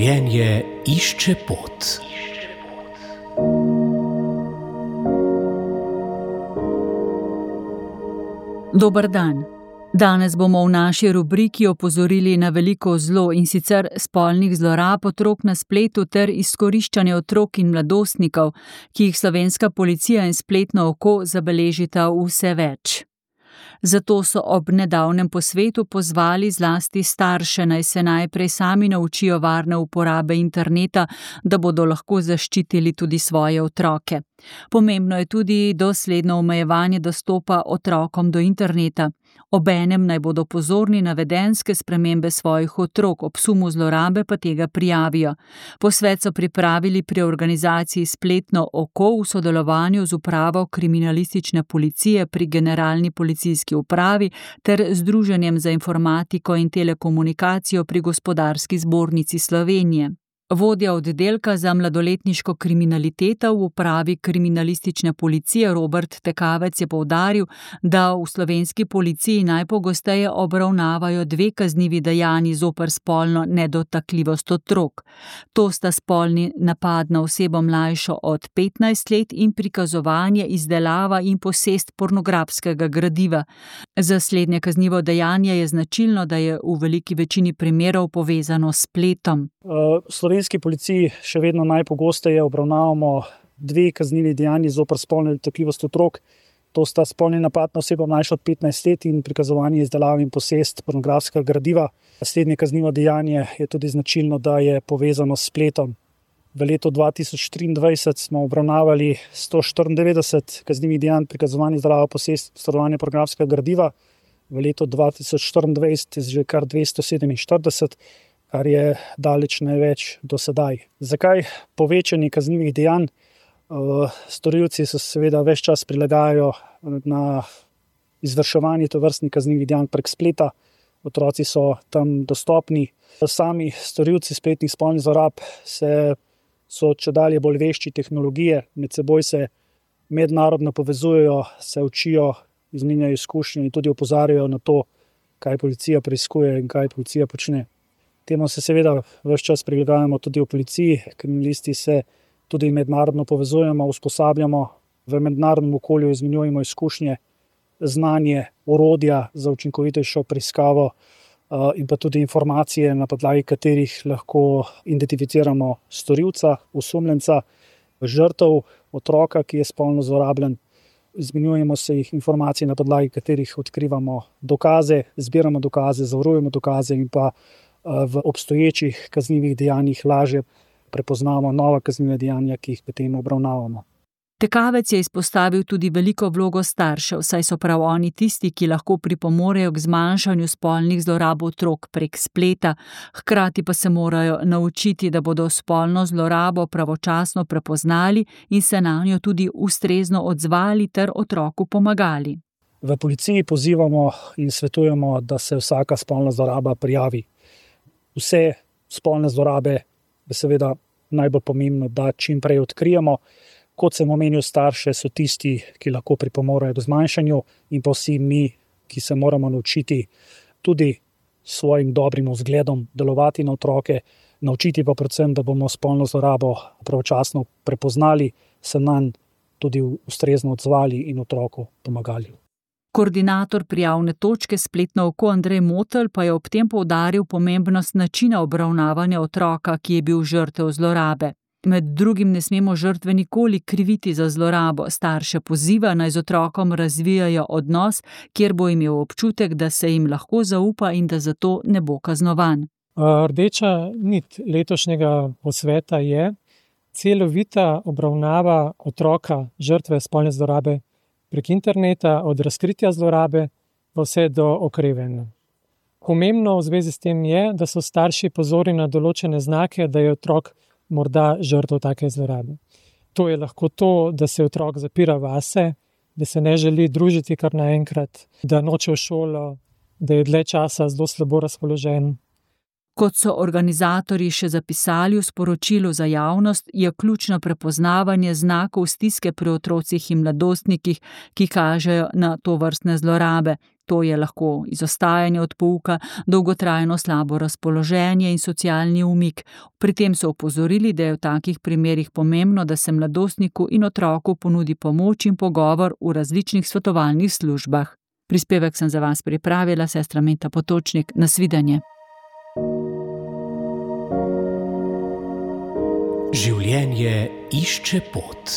Življenje išče pot. Dober dan. Danes bomo v naši rubriki opozorili na veliko zlo, in sicer spolnih zlorab otrok na spletu ter izkoriščanje otrok in mladostnikov, ki jih slovenska policija in spletno oko zabeležita vse več. Zato so ob nedavnem posvetu pozvali zlasti starše, naj se najprej sami naučijo varne uporabe interneta, da bodo lahko zaščitili tudi svoje otroke. Pomembno je tudi dosledno omejevanje dostopa otrokom do interneta. Obenem naj bodo pozorni na vedenjske spremembe svojih otrok, ob sumu zlorabe pa tega prijavijo. Posvet so pripravili pri organizaciji Spletno oko v sodelovanju z upravo kriminalistične policije pri Generalni policijski upravi ter Združenjem za informatiko in telekomunikacijo pri Gospodarski zbornici Slovenije. Vodja oddelka za mladoletniško kriminaliteto v upravi kriminalistične policije Robert Tekavec je poudaril, da v slovenski policiji najpogosteje obravnavajo dve kaznivi dejanji zoper spolno nedotakljivost otrok. To sta spolni napad na osebo mlajšo od 15 let in prikazovanje, izdelava in posest pornografskega gradiva. Za slednje kaznivo dejanje je značilno, da je v veliki večini primerov povezano s spletom. V slovenski policiji še vedno najpogosteje obravnavamo dve kaznivi dejanji zoper spolno nedotakljivost otrok. To sta spolni napad na osebo mlajšo od 15 let in prikazovanje, izdelava in posest pornografskega gradiva. Slednje kaznivo dejanje je tudi značilno, da je povezano s spletom. V letu 2023 smo obravnavali 194 kaznivih dejanj prikazovanja, izdelava, posest, posredovanje pornografskega gradiva. V letu 2024 že kar 247, kar je daleč največ do sedaj. Zakaj povečanje kaznivih dejanj? Storilci se seveda ves čas prilagajajo na izvrševanje tovrstnih kaznivih dejanj prek spleta. Otroci so tam dostopni. Sami storilci spletnih spolnih zlorab so čedalje bolj vešči tehnologije, med seboj se mednarodno povezujejo, se učijo, izmenjajo izkušnje in tudi opozarjajo na to, kaj policija preiskuje in kaj policija počne. Temu se seveda ves čas prilagajamo tudi v policiji, kriminalisti se tudi mednarodno povezujemo, usposabljamo, v mednarodnem okolju izmenjujemo izkušnje, znanje, orodja za učinkovitejšo preiskavo in pa tudi informacije, na podlagi katerih lahko identificiramo storilca, osumljenca, žrtev, otroka, ki je spolno zlorabljen. Izmenjujemo se jih informacije, na podlagi katerih odkrivamo dokaze, zbiramo dokaze, zavarujemo dokaze in pa v obstoječih kaznivih dejanjih lažje prepoznamo nova kazniva dejanja, ki jih potem obravnavamo. Tekavec je izpostavil tudi veliko vlogo staršev, saj so prav oni tisti, ki lahko pripomorejo k zmanjšanju spolnih zlorab otrok prek spleta, hkrati pa se morajo naučiti, da bodo spolno zlorabo pravočasno prepoznali in se nanjo tudi ustrezno odzvali ter otroku pomagali. V policiji pozivamo in svetujemo, da se vsaka spolna zloraba prijavi. Vse spolne zlorabe je seveda najbolj pomembno, da čim prej odkrijemo. Kot sem omenil, starše so tisti, ki lahko pripomorejo k zmanjšanju, in pa vsi mi, ki se moramo naučiti tudi svojim dobrim vzgledom delovati na otroke, naučiti pa predvsem, da bomo spolno zlorabo pravočasno prepoznali, se nanj tudi ustrezno odzvali in otroku pomagali. Koordinator prijavne točke Spletno oko Andrej Motelj pa je ob tem poudaril pomembnost načina obravnavanja otroka, ki je bil žrtev zlorabe. Med drugim ne smemo žrtve nikoli kriviti za zlorabo. Starše poziva, naj z otrokom razvijajo odnos, kjer bo imel občutek, da se jim lahko zaupa in da zato ne bo kaznovan. Rdeča nit letošnjega posveta je celovita obravnava otroka, žrtve spolne zlorabe prek interneta, od razkritja zlorabe pa vse do okrevanja. Pomembno v zvezi s tem je, da so starši pozorni na določene znake, da je otrok morda žrtev take zlorabe. To je lahko to, da se otrok zapira vase, da se ne želi družiti kar naenkrat, da noče v šolo, da je dlje časa zelo slabo razpoložen. Kot so organizatorji še zapisali v sporočilu za javnost, je ključno prepoznavanje znakov stiske pri otrocih in mladostnikih, ki kažejo na tovrstne zlorabe. To je lahko izostajanje od pouka, dolgotrajno slabo razpoloženje in socialni umik. Pri tem so opozorili, da je v takih primerih pomembno, da se mladostniku in otroku ponudi pomoč in pogovor v različnih svetovalnih službah. Prispevek sem za vas pripravila sestra Meta Potočnik. Nasvidenje. Življenje išče pot.